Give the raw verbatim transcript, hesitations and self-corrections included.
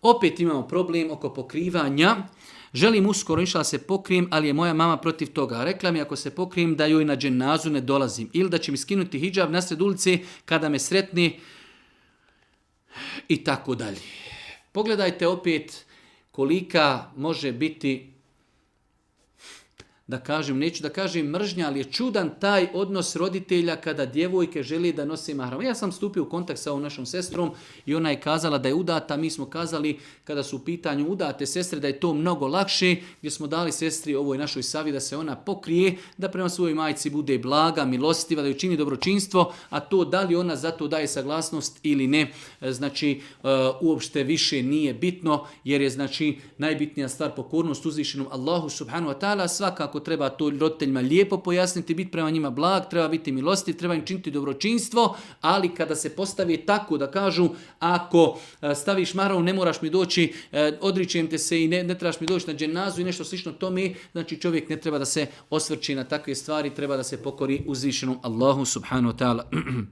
Opet imamo problem oko pokrivanja. Želim uskoro išla se pokrijem, ali je moja mama protiv toga. Rekla mi ako se pokrijem da joj na dženazu ne dolazim. Ili da će mi skinuti hidžab nasred ulice kada me sretni i tako dalje. Pogledajte opet kolika može biti, da kažem, neću da kažem mržnja, ali je čudan taj odnos roditelja kada djevojke želi da nose mahram. Ja sam stupio u kontakt sa ovom našom sestrom i ona je kazala da je udata. Mi smo kazali kada su u pitanju udate sestre da je to mnogo lakše, gdje smo dali sestri ovoj našoj savi da se ona pokrije, da prema svojoj majci bude blaga, milostiva, da ju čini dobročinstvo, a to da li ona za to daje saglasnost ili ne, znači uopšte više nije bitno, jer je znači najbitnija stvar pokornost uzvišenom Allahu subhanahu wa ta'ala. Svakako treba to roditeljima lijepo pojasniti, biti prema njima blag, treba biti milostiv, treba im činiti dobročinstvo, ali kada se postavi tako da kažu ako staviš mahram ne moraš mi doći, odričem te se i ne, ne trebaš mi doći na dženazu i nešto slično tome, znači čovjek ne treba da se osvrći na takve stvari, treba da se pokori uzvišenom Allahu subhanahu wa ta'ala.